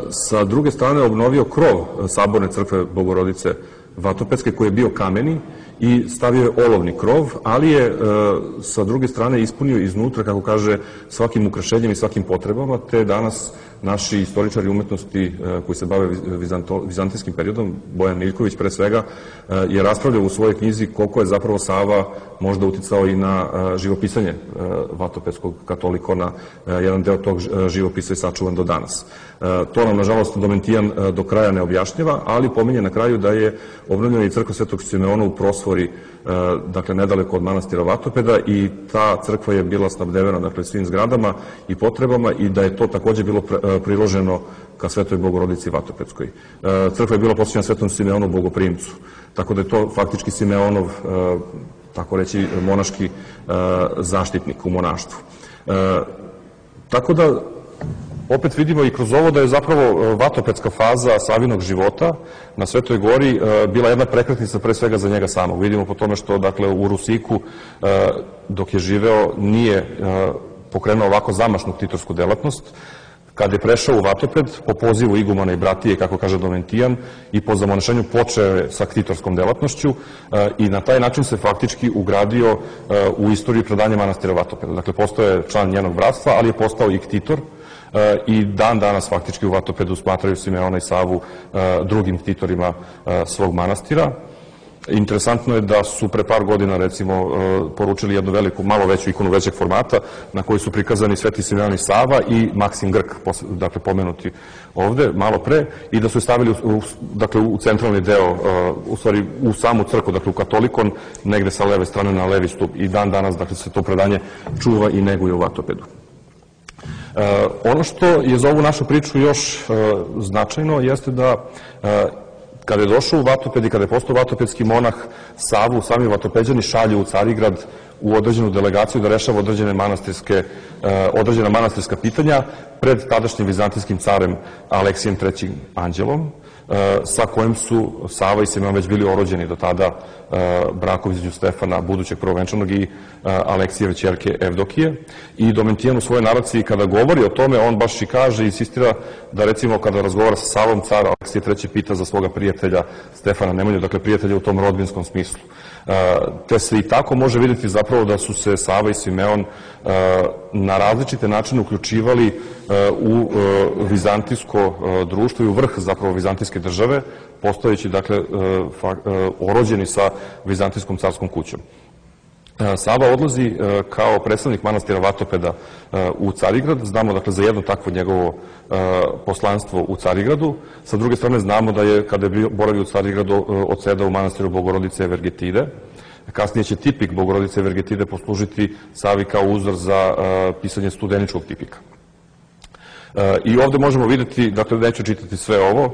Speaker 3: sa druge strane obnovio krov Saborne crkve Bogorodice Vatopedske, koji je bio kameni, i stavio je olovni krov, ali je sa druge strane ispunio iznutra, kako kaže, svakim ukrašenjem i svakim potrebama, te danas naši istoričari umetnosti koji se bave vizantijskim periodom, Bojan Miljković pre svega, je raspravljao u svojoj knjizi koliko je zapravo Sava možda uticao i na živopisanje vatopedskog katolikona. Jedan deo tog živopisa je sačuvan do danas. To nam, nažalost, Domitijan do kraja ne objašnjava, ali pominje na kraju da je obnovljena i crkva Svetog Simeona u Prosvori, dakle, nedaleko od manastira Vatopeda, i ta crkva je bila snabdevena, dakle, svim zgradama i potrebama, i da je to takođe bilo priloženo ka Svetoj Bogorodici Vatopedskoj. Crkva je bila posvećena Svetom Simeonu Bogoprimcu, tako da je to faktički Simeonov, tako reći, monaški zaštitnik u monaštvu. Tako da, opet vidimo i kroz ovo da je zapravo vatopedska faza Savinog života na Svetoj Gori bila jedna prekretnica pre svega za njega samog. Vidimo po tome što, dakle, u Rusiku, dok je živeo, nije pokrenuo ovako zamašnu ktitorsku delatnost. Kad je prešao u Vatoped, po pozivu igumana i bratije, kako kaže Domitijan, i po zamonešenju počeo je sa ktitorskom delatnošću, i na taj način se faktički ugradio u istoriju predanja manastira Vatopeda. Dakle, postao je član njenog bratstva, ali je postao i ktitor, i dan danas faktički u Vatopedu smatraju Simeona i Savu drugim ktitorima svog manastira. Interesantno je da su pre par godina, recimo, poručili jednu veliku, malo veću ikonu većeg formata, na kojoj su prikazani Sveti Simeon i Sava i Maksim Grk, dakle, pomenuti ovde malo pre, i da su je stavili dakle, u centralni deo, u stvari u samu crkvu, dakle u katolikon, negde sa leve strane na levi stup, i dan danas, dakle, se to predanje čuva i neguje u Vatopedu. Ono što je za ovu našu priču još značajno jeste da kada je došao u Vatoped i kada je postao vatopedski monah, Savu sami Vatopeđani šalju u Carigrad u određenu delegaciju da rešava određene manastirske, određena manastirska pitanja pred tadašnjim vizantijskim carem Aleksijem trećim Anđelom, sa kojim su Sava i Simeon već bili orođeni do tada brakom između Stefana, budućeg prvovenčanog, i Aleksijeve ćerke Evdokije. I Domitijan u svojoj naraciji, kada govori o tome, on baš i kaže i insistira da, recimo, kada razgovara sa Savom, car Aleksije treći pita za svoga prijatelja Stefana Nemanju, dakle prijatelja u tom rodbinskom smislu. Te se i tako može vidjeti zapravo da su se Sava i Simeon na različite načine uključivali u vizantijsko društvo i u vrh zapravo vizantijske države, postojeći, dakle, orođeni sa vizantijskom carskom kućom. Sava odlazi kao predstavnik manastira Vatopeda u Carigrad. Znamo dakle za jedno takvo njegovo poslanstvo u Carigradu. Sa druge strane znamo da je, kada je boravio u Carigradu, odsedao u manastiru Bogorodice Evergetide. Kasnije će tipik Bogorodice Evergetide poslužiti Savi kao uzor za pisanje studeničkog tipika. I ovde možemo vidjeti, dakle neću čitati sve ovo,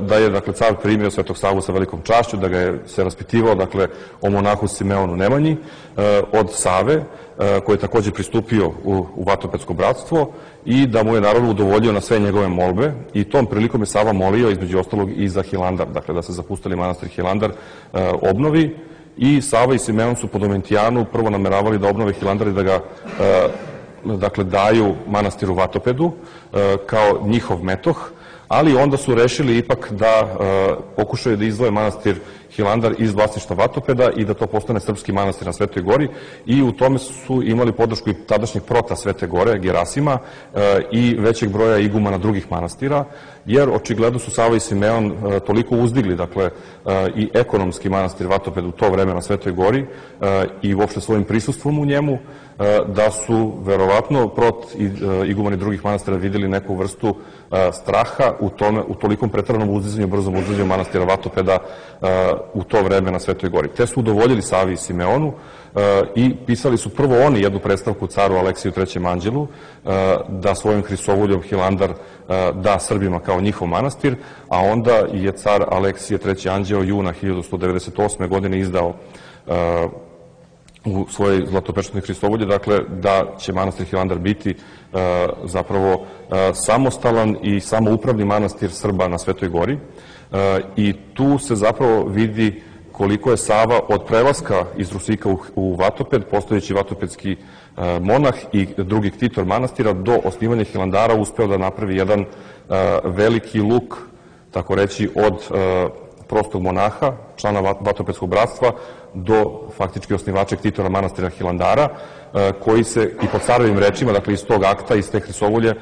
Speaker 3: da je dakle car primio Svetog Savu sa velikom čašću, da ga je se raspitivao dakle o monahu Simeonu Nemanji od Save, koji je takođe pristupio u, u Vatopedsko bratstvo i da mu je naravno udovoljio na sve njegove molbe i tom prilikom je Sava molio između ostalog i za Hilandar, dakle da se zapustili manastir Hilandar obnovi i Sava i Simeon su po Domitijanu prvo nameravali da obnove Hilandar i da ga dakle daju manastiru Vatopedu kao njihov metoh, ali onda su rešili ipak da pokušaju da izdvoje manastir Hilandar iz vlasništva Vatopeda i da to postane srpski manastir na Svetoj Gori i u tome su imali podršku i tadašnjeg prota Svete Gore, Gerasima, i većeg broja igumana drugih manastira, jer očigledno su Sava i Simeon toliko uzdigli, dakle, i ekonomski manastir Vatoped u to vreme na Svetoj Gori i uopšte svojim prisustvom u njemu, da su verovatno prot i igumani drugih manastira videli neku vrstu straha u tome, u tolikom preteranom uzdizanju, brzom uzdizanju manastira Vatopeda u to vreme na Svetoj Gori. Te su udovoljili Savi i Simeonu i pisali su prvo oni jednu predstavku caru Aleksiju trećem anđelu da svojim Hristovoljom Hilandar da Srbima kao njihov manastir, a onda je car Aleksije treći anđeo juna hiljadu sto devedeset osme. godine izdao u svojoj zlatopečatnoj Hristovolji, dakle, da će manastir Hilandar biti zapravo samostalan i samoupravni manastir Srba na Svetoj Gori. I tu se zapravo vidi koliko je Sava od prelaska iz Rusika u Vatoped, postojeći vatopedski monah i drugi ktitor manastira, do osnivanja Hilandara uspeo da napravi jedan veliki luk, tako reći, od prostog monaha, člana Vatopedskog bratstva, do faktički osnivača ktitora manastira Hilandara, koji se i po carovim rečima, dakle iz tog akta, iz te Hristovolje,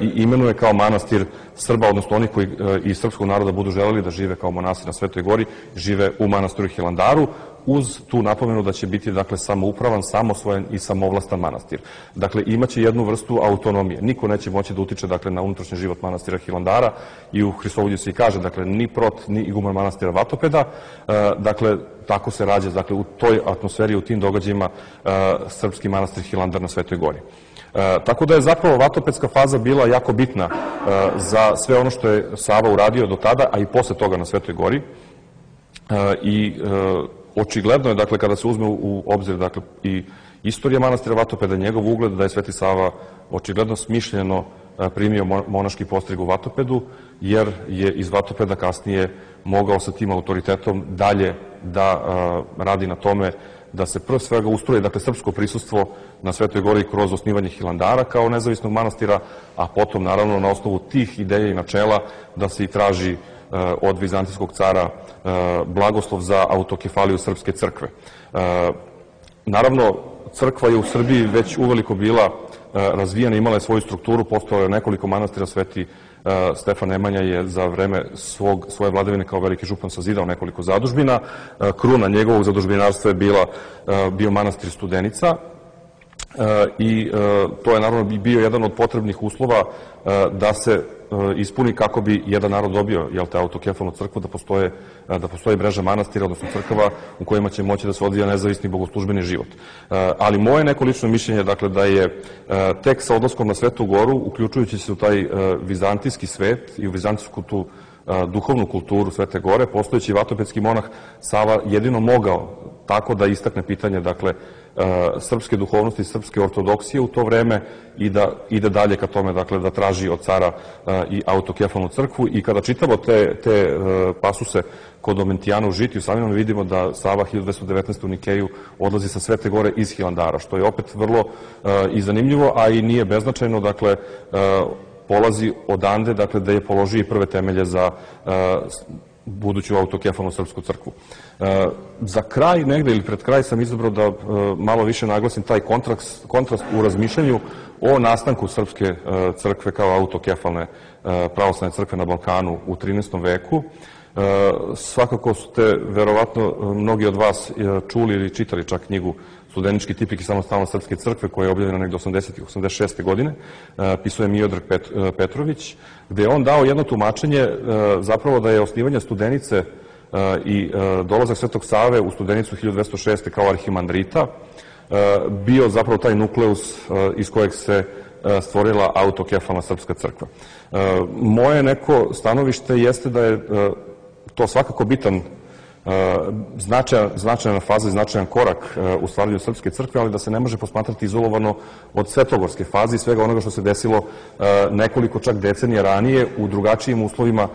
Speaker 3: i imenuje kao manastir Srba, odnosno onih koji iz srpskog naroda budu želeli da žive kao monasi na Svetoj Gori, žive u manastiru Hilandaru, uz tu napomenu da će biti, dakle, samoupravan, samosvojen i samovlastan manastir. Dakle, imaće jednu vrstu autonomije. Niko neće moći da utiče, dakle, na unutrašnji život manastira Hilandara i u Hristovolju se i kaže, dakle, ni prot, ni iguman manastira Vatopeda. Dakle, tako se rađa, dakle, u toj atmosferi, u tim događajima srpski manastir Hilandar na Svetoj Gori. Tako da je zapravo vatopedska faza bila jako bitna za sve ono što je Sava uradio do tada, a i posle toga na Svetoj Gori. I očigledno je, dakle, kada se uzme u obzir, dakle, i istorija manastira Vatopeda, njegov ugled, da je Sveti Sava očigledno smišljeno primio monaški postrig u Vatopedu, jer je iz Vatopeda kasnije mogao sa tim autoritetom dalje da radi na tome da se prvo svega ustroje, dakle, srpsko prisustvo na Svetoj Gori kroz osnivanje Hilandara kao nezavisnog manastira, a potom, naravno, na osnovu tih ideja i načela da se i traži od vizantijskog cara blagoslov za autokefaliju Srpske crkve. Naravno, crkva je u Srbiji već uveliko bila razvijena, imala je svoju strukturu, postojalo je nekoliko manastira. Sveti Stefan Nemanja je za vreme svog, svoje vladavine kao veliki župan sazidao nekoliko zadužbina. Kruna njegovog zadužbinarstva je bila, bio manastir Studenica, i to je naravno bio jedan od potrebnih uslova da se ispuni kako bi jedan narod dobio, jel te, autokefalnu crkvu, da postoje, da postoji mreža manastira, odnosno crkava u kojima će moći da se odvija nezavisni bogoslužbeni život. Ali moje neko lično mišljenje, dakle, da je tek sa odlaskom na Svetu Goru, uključujući se u taj vizantijski svet i u vizantijsku tu duhovnu kulturu Svete Gore, postojeći vatopedski monah Sava jedino mogao tako da istakne pitanje, dakle, srpske duhovnosti, srpske ortodoksije u to vreme i da ide dalje ka tome, dakle, da traži od cara i autokefalnu crkvu. I kada čitamo te, te pasuse kod Domitijana u Žitiju, samim vidimo da Sava hiljadu dvesta devetnaeste. u Nikeju odlazi sa Svete Gore iz Hilandara, što je opet vrlo i zanimljivo, a i nije beznačajno, dakle, polazi odande, dakle, da je položio i prve temelje za buduću autokefalnu srpsku crkvu. Za kraj negde ili pred kraj sam izabrao da malo više naglasim taj kontrast, kontrast u razmišljanju o nastanku srpske crkve kao autokefalne pravoslavne crkve na Balkanu u trinaestom veku. Svakako ste, verovatno, mnogi od vas čuli ili čitali čak knjigu Studenički tipik i samostalna srpske crkve, koja je objavljena negde osamdesetih, osamdeset šeste godine, pisao je Miodrag Petrović, gde je on dao jedno tumačenje zapravo da je osnivanje Studenice i dolazak Svetog Save u Studenicu hiljadu dvesta šeste. kao arhimandrita bio zapravo taj nukleus iz kojeg se stvorila autokefalna srpska crkva. Moje neko stanovište jeste da je to svakako bitan značajna faza i značajan korak u stvaranju srpske crkve, ali da se ne može posmatrati izolovano od svetogorske faze i svega onoga što se desilo nekoliko čak decenija ranije u drugačijim uslovima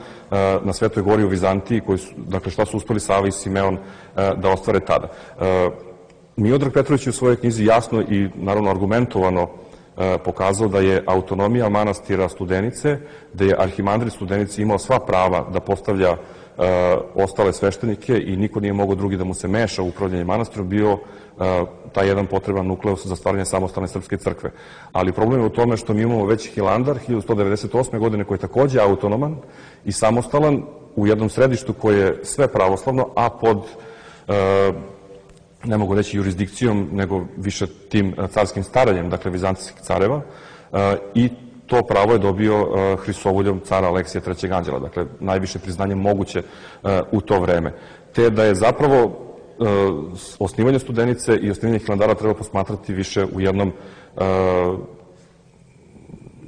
Speaker 3: na Svetoj gori u Vizantiji, dakle šta su uspeli Sava i Simeon da ostvare tada. Miodrag Petrović u svojoj knjizi jasno i naravno argumentovano pokazao da je autonomija manastira Studenice, da je arhimandrit Studenice imao sva prava da postavlja ostale sveštenike i niko nije mogao drugi da mu se meša u upravljanje manastirom, bio taj jedan potreban nukleus za stvaranje samostalne srpske crkve. Ali problem je u tome što mi imamo već Hilandar hiljadu sto devedeset osme. godine, koji je takođe autonoman i samostalan u jednom središtu koje je sve pravoslavno, a pod, ne mogu reći jurisdikcijom, nego više tim carskim staranjem, dakle vizantijskih careva, i to pravo je dobio Hristovoljom cara Aleksija trećeg anđela, dakle najviše priznanje moguće u to vreme. Te da je zapravo osnivanje Studenice i osnivanje Hilandara treba posmatrati više u jednom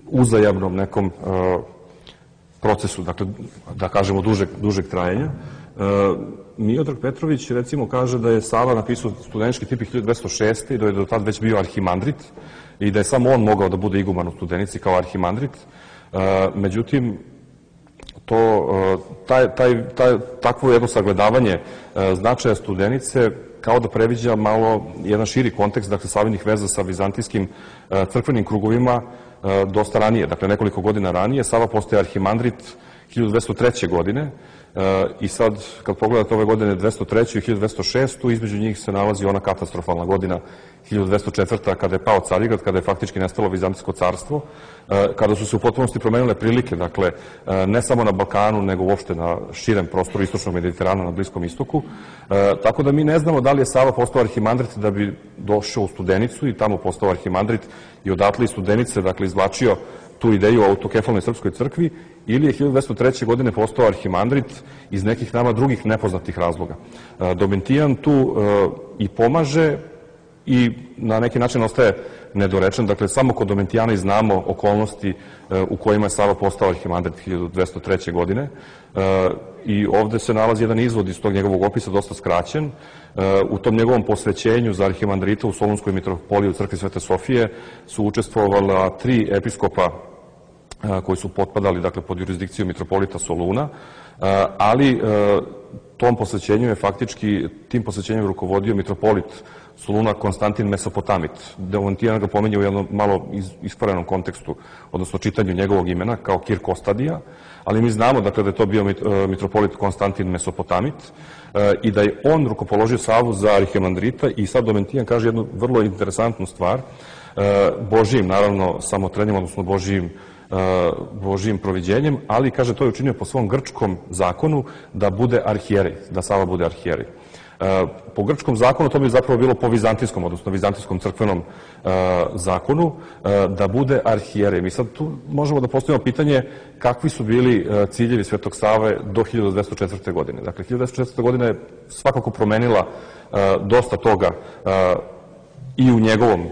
Speaker 3: uzajamnom nekom procesu, dakle da kažemo dužeg trajanja. Miodrag Petrović recimo kaže da je Sava napisao Studenički tipik hiljadu dvesta šeste. i da je do tada već bio arhimandrit i da je samo on mogao da bude iguman u Studenici kao arhimandrit. Međutim, takvo jedno sagledavanje značaja Studenice kao da previđa malo jedan širi kontekst, dakle, Savinih veza sa vizantijskim crkvenim krugovima dosta ranije, dakle, nekoliko godina ranije. Sava postaje arhimandrit hiljadu dvesta treće. godine i sad, kad pogledate ove godine dvesta treću. i hiljadu dvesta šestu. između njih se nalazi ona katastrofalna godina hiljadu dvesta četvrta. kada je pao Carigrad, kada je faktički nestalo Vizantijsko carstvo, kada su se u potpunosti promenile prilike, dakle, ne samo na Balkanu, nego uopšte na širem prostoru istočnog Mediterana, na Bliskom istoku. Tako da mi ne znamo da li je Sava postao arhimandrit da bi došao u Studenicu i tamo postao arhimandrit i odatle iz Studenice, dakle, izvlačio tu ideju o autokefalnoj srpskoj crkvi, ili je hiljadu dvesta treće. godine postao arhimandrit iz nekih nama drugih nepoznatih razloga. Domitijan tu i pomaže i na neki način ostaje nedorečen. Dakle, samo kod Domitijana i znamo okolnosti u kojima je Sava postao arhimandrit hiljadu dvesta treće. godine. I ovde se nalazi jedan izvod iz tog njegovog opisa, dosta skraćen. U tom njegovom posvećenju za arhimandrita u Solunskoj mitropoliji u crkvi Svete Sofije su učestvovala tri episkopa koji su potpadali, dakle, pod jurisdikciju mitropolita Soluna, ali tom posvećenju je faktički, tim posvećenjem rukovodio mitropolit Soluna Konstantin Mesopotamit. Domitijan ga pominje u jednom malo iskvarenom kontekstu, odnosno čitanju njegovog imena, kao Kir Kostadija, ali mi znamo, dakle, da je to bio mitropolit Konstantin Mesopotamit i da je on rukopoložio Savu za arhimandrita. I sad Domitijan kaže jednu vrlo interesantnu stvar, Božijim, naravno, samotrenjem, odnosno Božijim Božijim proviđenjem, ali, kaže, to je učinio po svom grčkom zakonu da bude arhijerej, da Sava bude arhijerej. Po grčkom zakonu to bi zapravo bilo po vizantijskom, odnosno vizantijskom crkvenom zakonu, da bude arhijerej. Mi sad tu možemo da postavimo pitanje kakvi su bili ciljevi Svetog Save do hiljadu dvesta četvrte. godine. Dakle, hiljadu dvesta četvrte. godina je svakako promenila dosta toga i u njegovom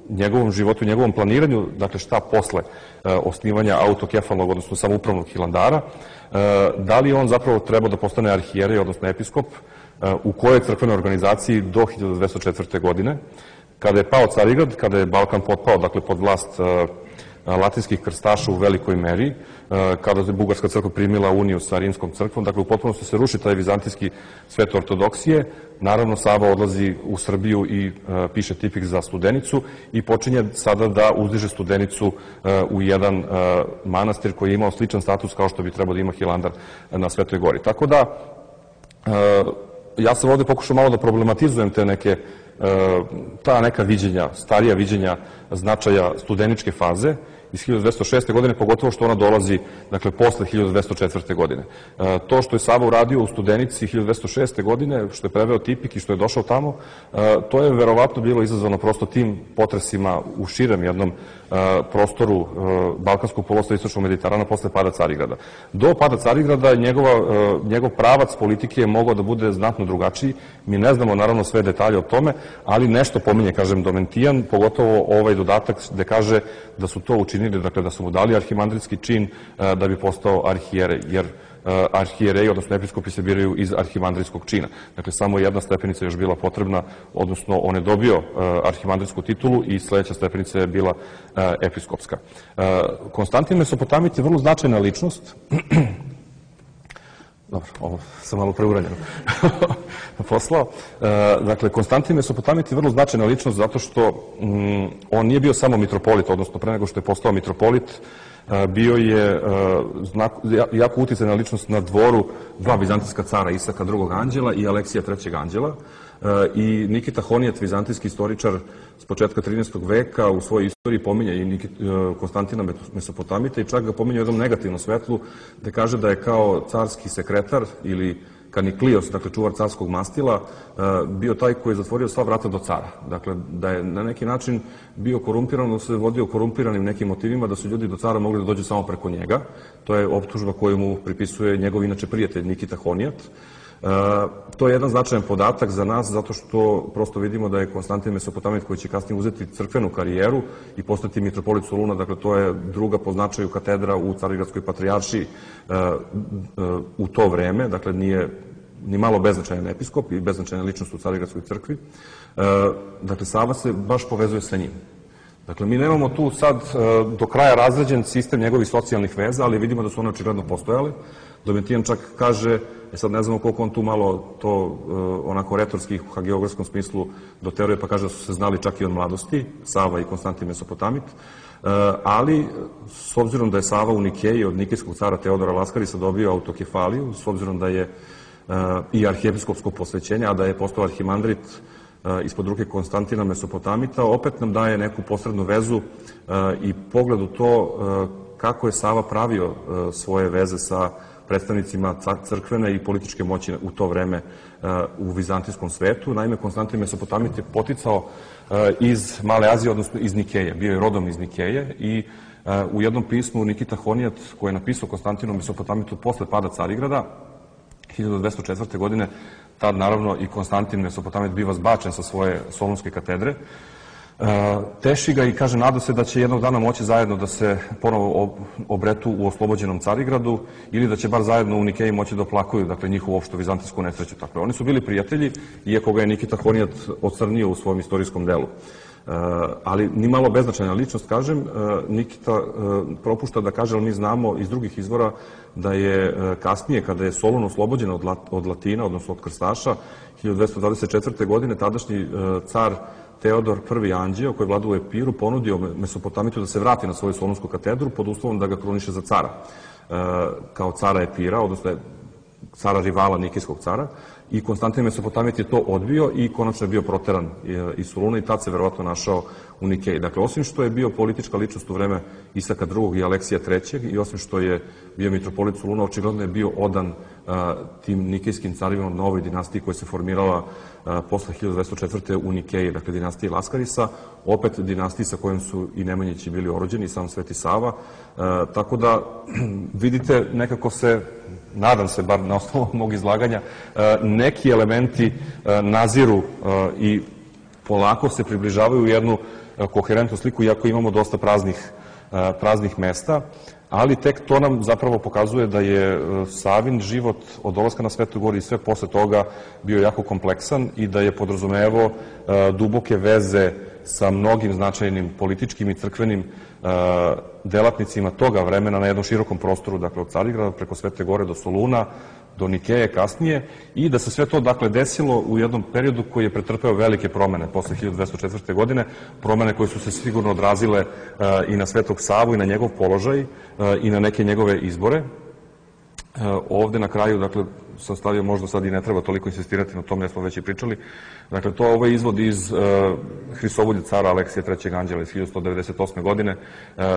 Speaker 3: njegovom životu, njegovom planiranju, dakle šta posle osnivanja autokefalnog, odnosno samoupravnog Hilandara, da li on zapravo trebao da postane arhijerej, odnosno episkop, u kojoj crkvenoj organizaciji do hiljadu dvesta četvrte. godine, kada je pao Carigrad, kada je Balkan potpao, dakle, pod vlast latinskih krstaša u velikoj meri, kada je Bugarska crkva primila uniju sa Rimskom crkvom, dakle, u potpunosti se ruši taj vizantijski svet ortodoksije. Naravno, Sava odlazi u Srbiju i piše tipik za Studenicu i počinje sada da uzdiže Studenicu u jedan manastir koji je imao sličan status kao što bi trebao da ima Hilandar na Svetoj gori. Tako da, ja sam ovde pokušao malo da problematizujem te neke ta neka viđenja, starija viđenja značaja studeničke faze iz hiljadu dvesta šeste. godine, pogotovo što ona dolazi, dakle, posle hiljadu dvesta četvrte. godine. To što je Sava uradio u Studenici hiljadu dvesta šeste. godine, što je preveo tipik i što je došao tamo, to je verovatno bilo izazvano prosto tim potresima u širem jednom prostoru Balkanskog poluostrva i Istočnog Mediterana posle pada Carigrada. Do pada Carigrada njegov pravac politike je mogao da bude znatno drugačiji. Mi ne znamo naravno sve detalje o tome, ali nešto pominje, kažem, Domentijan, pogotovo ovaj dodatak gde kaže da su to učinili, dakle da su mu dali arhimandritski čin da bi postao arhijerej, jer arhijereji, odnosno episkopi se biraju iz arhimandritskog čina. Dakle, samo jedna stepenica je još bila potrebna, odnosno on je dobio arhimandritsku titulu i sledeća stepenica je bila episkopska. Konstantin Mesopotamit je vrlo značajna ličnost. Dobro, ovo sam malo preuranjeno poslao. Dakle, Konstantin Mesopotamit je vrlo značajna ličnost zato što on nije bio samo mitropolit, odnosno pre nego što je postao mitropolit, bio je jako uticajna ličnost na dvoru dva vizantijska cara, Isaka drugog anđela i Aleksija trećeg anđela. I Nikita Honijat, vizantijski istoričar s početka trinaestog. veka, u svojoj istoriji pominje i Konstantina Mesopotamita i čak ga pominje u jednom negativnom svetlu, gde kaže da je kao carski sekretar ili Kaniklijos, dakle čuvar carskog mastila, bio taj koji je zatvorio sva vrata do cara. Dakle, da je na neki način bio korumpiran, da se vodio korumpiranim nekim motivima, da su ljudi do cara mogli da dođu samo preko njega. To je optužba koju mu pripisuje njegov inače prijatelj Nikita Honijat. To je jedan značajan podatak za nas, zato što prosto vidimo da je Konstantin Mesopotamit, koji će kasnije uzeti crkvenu karijeru i postati mitropolit Soluna, dakle to je druga po značaju katedra u Carigradskoj patrijaršiji u to vreme, dakle nije ni malo beznačajan episkop i beznačajna ličnost u Carigradskoj crkvi. Dakle, Sava se baš povezuje sa njim. Dakle, mi nemamo tu sad do kraja razređen sistem njegovih socijalnih veza, ali vidimo da su one očigledno postojale. Domitijan čak kaže, e sad ne znamo koliko on tu malo to onako retorski u hagiografskom smislu doteruje, pa kaže da su se znali čak i od mladosti, Sava i Konstantin Mesopotamit, ali s obzirom da je Sava u Nikeji od nikejskog cara Teodora Laskarisa dobio autokefaliju, s obzirom da je i arhijepiskopsko posvećenje, a da je postao arhimandrit ispod ruke Konstantina Mesopotamita, opet nam daje neku posrednu vezu i pogled u to kako je Sava pravio svoje veze sa predstavnicima crkvene i političke moći u to vreme u vizantijskom svetu. Naime, Konstantin Mesopotamit je poticao iz Male Azije, odnosno iz Nikeje. Bio je rodom iz Nikeje i u jednom pismu Nikita Honijat, koji je napisao Konstantinu Mesopotamitu posle pada Carigrada, hiljadu dvesta četvrte. godine, tad naravno i Konstantin Mesopotamit biva zbačen sa svoje solunske katedre, teši ga i kaže, nada se da će jednog dana moći zajedno da se ponovo obretu u oslobođenom Carigradu ili da će bar zajedno u Nikeji moći da oplakuju, dakle, njihovu opštu vizantijsku nesreću. Dakle, oni su bili prijatelji, iako ga je Nikita Honijat ocrnio u svom istorijskom delu. Ali ni malo beznačajna ličnost, kažem, Nikita propušta da kaže, ali mi znamo iz drugih izvora da je kasnije, kada je Solun oslobođen od Latina, odnosno od krstaša, hiljadu dvesta dvadeset četvrte. godine, tadašnji car Teodor prvi anđeo, koji vlada u Epiru, ponudio Mesopotamitu da se vrati na svoju solunsku katedru pod uslovom da ga kruniše za cara, kao cara Epira, odnosno cara rivala nikejskog cara, i Konstantin Mesopotamit je to odbio i konačno je bio proteran iz Soluna i tad se verovatno našao u Nikeji. Dakle, osim što je bio politička ličnost u vreme Isaka drugog. i Aleksija trećeg. i osim što je bio mitropolit Soluna, očigledno je bio odan tim nikejskim carima na ovoj dinastiji koja se formirala posle hiljadu dvesta četvrte. u Nikeji, dakle dinastiji Laskarisa, opet dinastiji sa kojom su i Nemanjići bili orođeni, i sam Sveti Sava. Tako da, vidite, nekako se, nadam se, bar na osnovu mog izlaganja, neki elementi naziru i polako se približavaju u jednu koherentnu sliku, iako imamo dosta praznih, praznih mesta, ali tek to nam zapravo pokazuje da je Savin život od dolaska na Svetu Goru i sve posle toga bio jako kompleksan i da je podrazumevao duboke veze sa mnogim značajnim političkim i crkvenim delatnicima toga vremena na jednom širokom prostoru, dakle od Carigrada preko Svete Gore do Soluna, do Nikeje kasnije, i da se sve to, dakle, desilo u jednom periodu koji je pretrpeo velike promene posle hiljadu dvesta četvrte. godine, promene koje su se sigurno odrazile i na Svetog Savu i na njegov položaj i na neke njegove izbore. Ovde na kraju, dakle, sam stavio, možda sad i ne treba toliko insistirati na tome, jer smo već i pričali. Dakle, to je ovaj izvod iz Hrisovulje cara Aleksija trećeg anđela iz hiljadu sto devedeset osme. godine,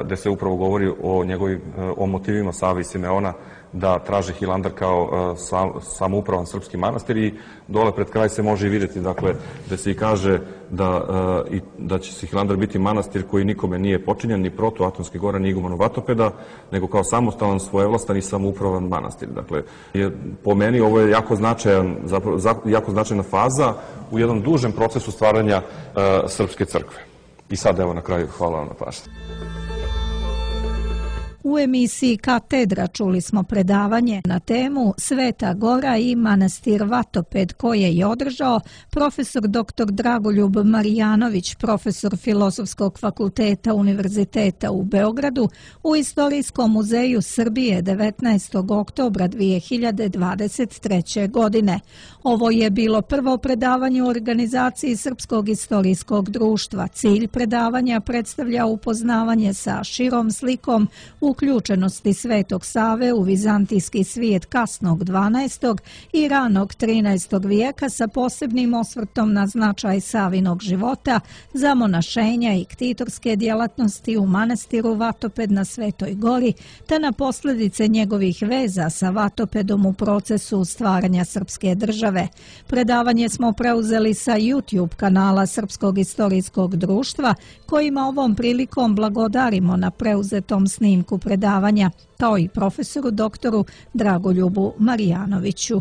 Speaker 3: gde se upravo govori o njegovim, o motivima Save i Simeona da traže Hilandar kao samoupravan srpski manastir, i dole pred kraj se može i vidjeti, dakle, da se i kaže da, da će se Hilandar biti manastir koji nikome nije počinjen, ni protu Atonske gore, ni igumanom Vatopeda, nego kao samostalan, svojevlastan i samoupravan manastir. Dakle, je, po meni ovo je jako značajan, zapravo, jako značajna faza u jednom dužem procesu stvaranja uh, Srpske crkve. I sad, evo, na kraju, hvala vam na pažnji.
Speaker 2: U emisiji Katedra čuli smo predavanje na temu Sveta Gora i manastir Vatoped koje je održao profesor doktor Dragoljub Marijanović, profesor Filozofskog fakulteta Univerziteta u Beogradu u Istorijskom muzeju Srbije devetnaestog oktobra dve hiljade dvadeset treće. godine. Ovo je bilo prvo predavanje u organizaciji Srpskog istorijskog društva. Cilj predavanja predstavlja upoznavanje sa širom slikom uključenosti Svetog Save u vizantijski svijet kasnog dvanaestog i ranog trinaestog vijeka sa posebnim osvrtom na značaj Savinog života, zamonašenja i ktitorske djelatnosti u manastiru Vatoped na Svetoj Gori, te na posljedice njegovih veza sa Vatopedom u procesu stvaranja srpske države. Predavanje smo preuzeli sa YouTube kanala Srpskog istorijskog društva, kojima ovom prilikom blagodarimo na preuzetom snimku predavanja, kao i profesoru doktoru Dragoljubu Marijanoviću.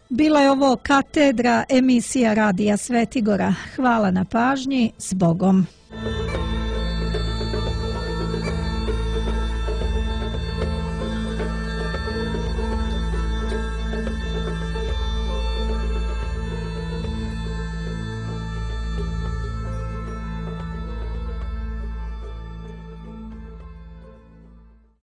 Speaker 2: Bila je ovo Katedra, emisija Radija Svetigora. Hvala na pažnji, s Bogom.